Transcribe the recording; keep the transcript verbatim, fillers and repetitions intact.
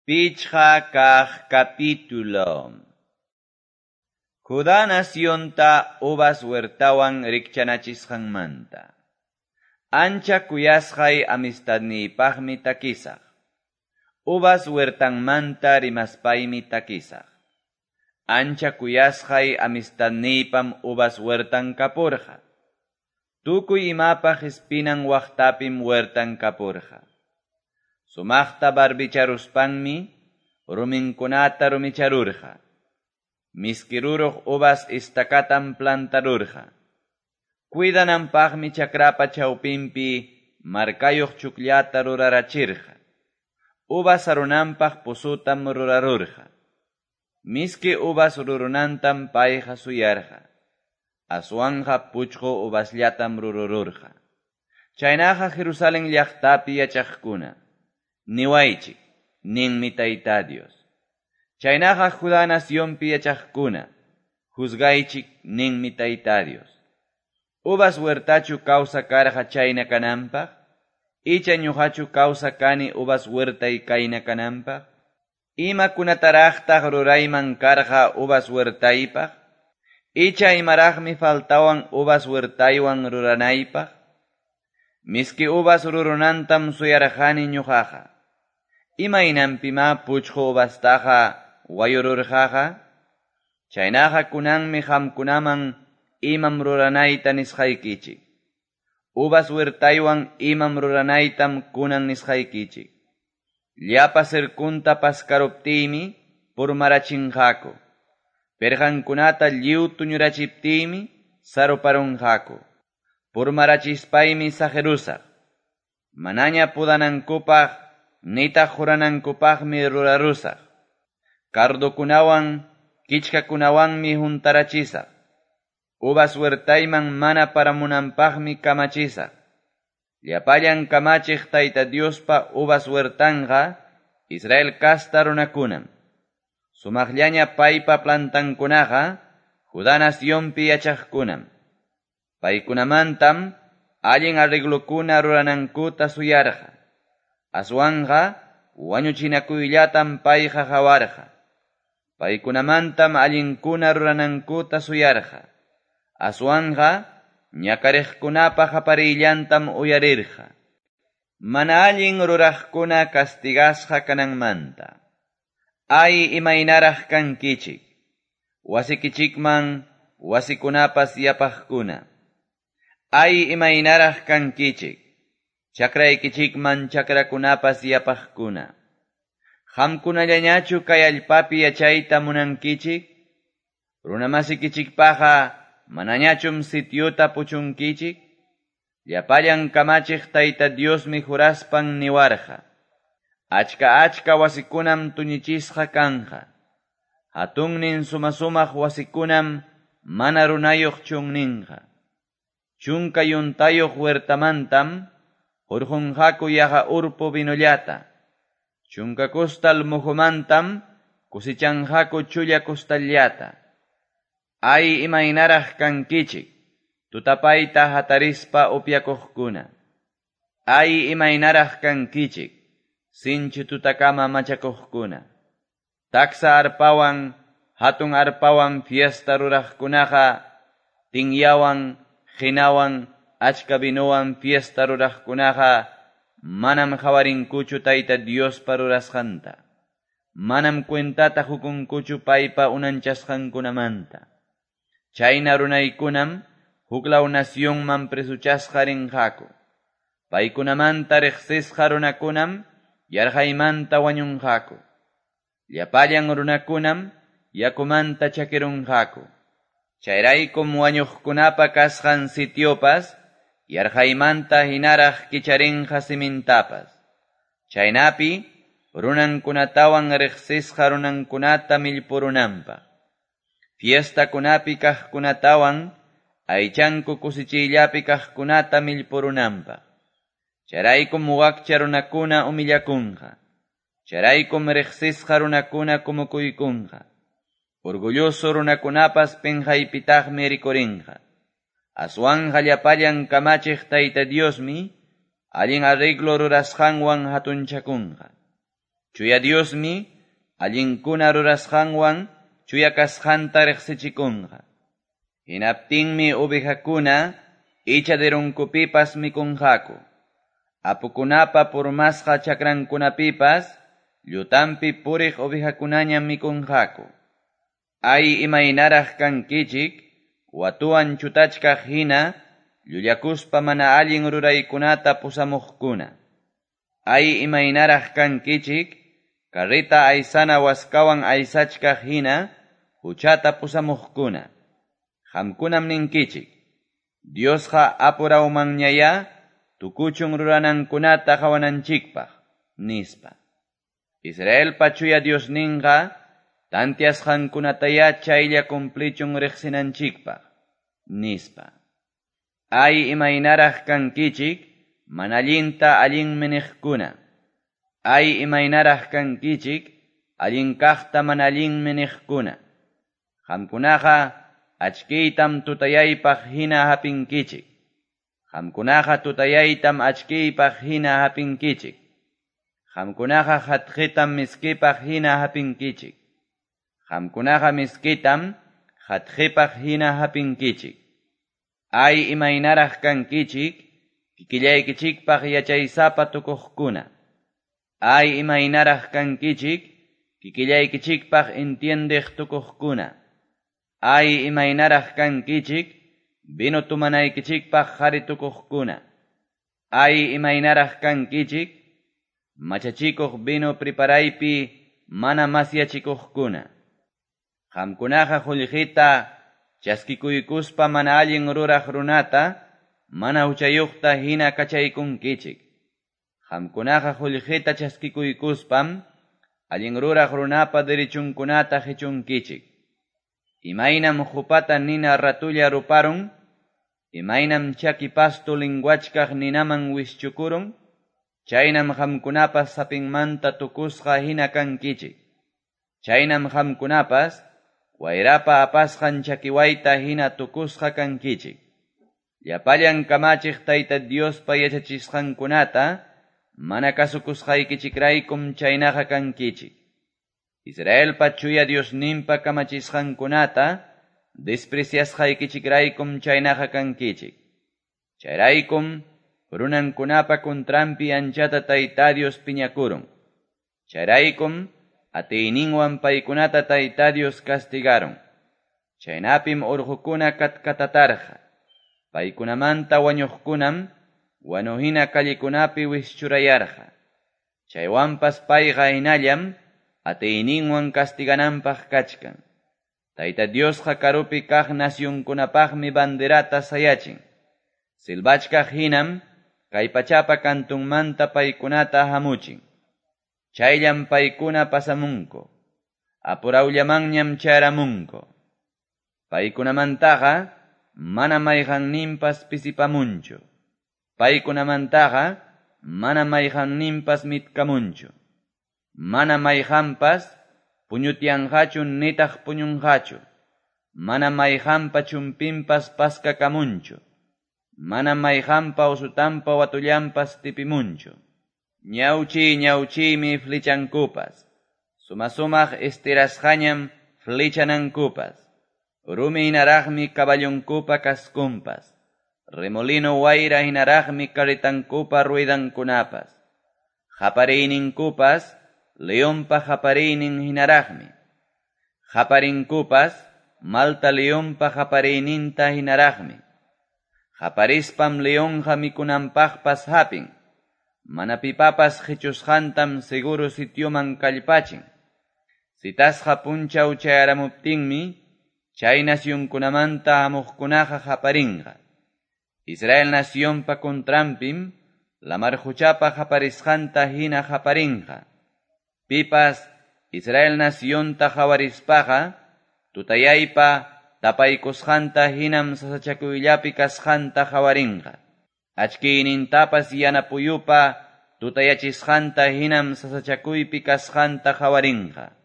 Pichqa kaq capítulo. Judá nacionta uvas huertawan rikchanachisqanmanta. Ancha kuyasqay amistadniypaqmi takisaq. Uvas huertanmanta rimaspaymi takisaq. Ancha kuyasqay amistadniypam uvas huertan kapurqa. Tukuy imapaq espinan waqtapim huertan kapurqa. Sumaqta barbicharuspanmi ruminkunata rumicharurqa. Miskiruruq uvas estakatam plantarurqa. Cuidananpaqmi chakrapa chawpinpi markayuq chukllata rurarachirqa. Uvas arunanpaq pozotam rurarurqa. Miski uvas rurunantam payqa suyarqa. Aswanqa puchqu uvasllatam rurururqa. Chaynaqa Jerusalén llaqtapi yachaqkuna. Niwaychik, ninmi Tayta Dios. Chaynaqa Judá nacionpi yachaqkuna, juzgaychik, ninmi Tayta Dios. Uvas huertachu kawsa karqa chayna kananpaq, icha ñuqachu kawsa kani uvas huertay kayna kananpaq, imakunataraqtaq rurayman karqa uvas huertaypaq, icha imaraqmi faltawan uvas huertaywan ruranaypaq, miski uvas rurunantam suyarqani ñuqaqa. Imaynanpima puchqu uvastaqa wayururqaqa, chaynaqa kunanmi qamkunaman imam ruranayta nisqaykichik. Uvas huertaywan imam ruranaytam kunan nisqaykichik. Llapa cercunta paskaruptiymi purmarachinqaku. Perqankunata lliw tuñurachiptiymi saruparunqaku. Purmarachispaymi saqirusaq. Manaña pudanankupaq nitaq juranankupaqmi rurarusaq. Cardokunawan, kichkakunawanmi juntarachisaq. Uvas huertayman mana paramunanpaqmi kamachisaq. Llapallan kamachiq Tayta Diospa uvas huertanqa Israel kasta runakunam. Sumaqllaña paypa plantankunaqa Judá nacionpi yachaqkunam. Paykunamantam allin arreglokuna ruranankuta suyarqa. Aswanqa wañuchinakuyllatam payqa hawarqa. Paykunamantam allinkuna ruranankuta suyarqa. Aswanqa ñakariqkunapa qaparillantam uyarirqa. Mana allin ruraqkuna castigasqa kananmanta. Ay imaynaraq kankichik. Wasikichikman wasikunapas yapaqkuna. Ay imaynaraq kankichik. Chakraykichikman chakrakunapas yapaqkuna. Qamkunallañachu kay allpapi yachayta munankichik? Runamasikichikpaqa manañachum sitiuta puchunkichik? Llapallan kamachiq Tayta Diosmi juraspan niwarqa. Achka achka wasikunam tuñichisqa kanqa. Hatunnin sumasumaq wasikunam mana runayuq chunninqa. Chunka yuntayuq huertamantam hurqunqaku yaqa urpu vinollata. Chunka kustal muhumantam kusichanqaku chulla kustallata. Ay imaynaraq kankichik, tutapayta hatarispa upyakuqkuna. Ay imaynaraq kankichik, sinchi tutakama machakuqkuna. Taksa arpawan, hatun arpawan fiesta ruraqkunaqa, tinyawan, qinawan, achka vinowan fiesta ruraqkunaqa, manam qawarinkuchu Tayta Diospa rurasqanta. Manam cuentata hukunkuchu paypa unanchasqankunamanta. Chayna runaykunam huklaw nacionman presuchasqa rinqaku. Paykunamanta riqsisqa runakunam yarqaymanta wañunqaku. Llapallan runakunam yakumanta chakirunqaku. Chayraykum wañuqkunapa kasqan sitiopas yarqaymanta hinaraq kicharinqa simintapas. Chaynapi runankunatawan riqsisqa runankunata millpurunanpaq. Fiestakunapi kaqkunatawan aychanku kusichiyllapi kaqkunata millpurunanpaq. Chayraykum wakcha runakuna humillakunqa. Chayraykum riqsisqa runakuna kumukuykunqa. Orgulloso runakunapas pinqaypitaqmi rikurinqa. Aswanqa llapallan kamachiq Tayta Diosmi allin arreglo rurasqanwan hatunchakunqa. Chuya Diosmi allinkuna rurasqanwan chuya kasqanta riqsichikunqa. Hinaptinmi ovejakuna ichaderunkupipas mikunqaku. Apukunapa purmasqa chakrankunapipas llutampi puriq ovejakunañam mikunqaku. Ay imaynaraq kankichik, watuwan chutachkaq hina, llullakuspa mana allin ruraykunata pusamuqkuna. Ay imaynaraq kankichik, carreta aysana waskawan aysachkaq hina, huchata pusamuqkuna. Qamkunam ninkichik, Diosqa apurawmanñaya tukuchun ruranankunata qawananchikpaq, nispa. Israelpa chuya Diosninqa tantiasqankunataya chaylla cumplichun riqsinanchikpaq, nispa. Ay imaynaraq kankichik, mana allinta allinmi niqkuna. Ay imaynaraq kankichik, allin kaqta mana allinmi niqkuna. Qamkunaqa achkiytam tutayaypaq hina hapinkichik. Qamkunaqa tutayaytam achkiypaq hina hapinkichik. Qamkunaqa hatqitam miskipaq hina hapinkichik. Qamkunaqa miskitam hatqipaq hina hapinkichik. Ay imaynaraq kankichik, kikillaykichikpaq yachaysapa tukuqkuna. Ay imaynaraq kankichik, kikillaykichikpaq entiendeq tukuqkuna. Ay imaynaraq kankichik, vino tumanaykichikpaq qari tukuqkuna. Ay imaynaraq kankichik, machachikuq vino preparaypi mana masyachikuqkuna. Qamkunaqa qullqita chaskikuykuspa mana allin ruraq runata, mana huchayuqta hina kachaykunkichik. Qamkunaqa qullqita chaskikuykuspam allin ruraq runapa derechunkunata qichunkichik. Imaynam qupata nina ratulla ruparun, imaynam chaki pasto linguachkaq ninaman wischukurun, chaynam qamkunapas sapinmanta tukusqa hina kankichik. Chaynam qamkunapas wayrapa apasqan chakiwayta hina tukusqa kankichik. Llapallan kamachiq Tayta Diospa yachachisqankunata mana kasukusqaykichikraykum chaynaqa kankichik. Israelpa chuya Diosninpa kamachisqankunata despreciasqaykichikraykum chaynaqa kankichik. Chayraykum runankunapa kuntranpi anchata Tayta Dios piñakurun. Chayraykum atiyninwan paykunata Tayta Dios castigaron. Chaynapim urqukuna katkatatarqa. Paykunamanta wañuqkunam wanuhina kallikunapi wischurayarqa. Chaywanpas payqa hinallam atiyninwan castigananpaq kachkan. Tayta Diosqa karupi kaq nasyunkunapaqmi banderata sayachin. Silbachkaq hinam kay pachapa kantunmanta paykunata hamuchin. Chayllam paykuna pasamunku. Apurawllamanñam chayaramunku. Paykunamantaqa mana mayqanninpas pisipamunchu. Paykunamantaqa mana mayqanninpas mitkamunchu. Mana mayqanpas puñutyanqachu nitaq puñunqachu. Mana mayqanpa chumpinpas paskakamunchu. Mana mayqanpa usutanpa watullanpas tipimunchu. Ñawchi ñawchimi flichankupas. Suma-sumaq estirasqañam flichanankupas. Rumi hinaraqmi caballonkupa kaskunpas. Remolino wayra hinaraqmi carretankupa ruidankunapas. Qapariyninkupas leonpa qapariynin hinaraqmi. Qaparinkupas malta leonpa qapariyninta hinaraqmi. Qaparispam leonqa mikunanpaqpas hapin. Mana pipapas qichusqantam seguro sitioman kallpachin. Sitasqa punchaw chayaramuptinmi chay nasyunkunamanta hamuqkunaqa qaparinqa. Israel nasyonpa contranpim lamar quchapa qaparisqanta hina qaparinqa. Pipas Israel nasyonta qawarispaqa tutayaypa tapaykusqanta hinam sasachakuyllapi kasqanta qawarinqa. Achkiynintapas yana puyupa tutayachisqanta hinam sasachakuypi kasqanta qawarinqa.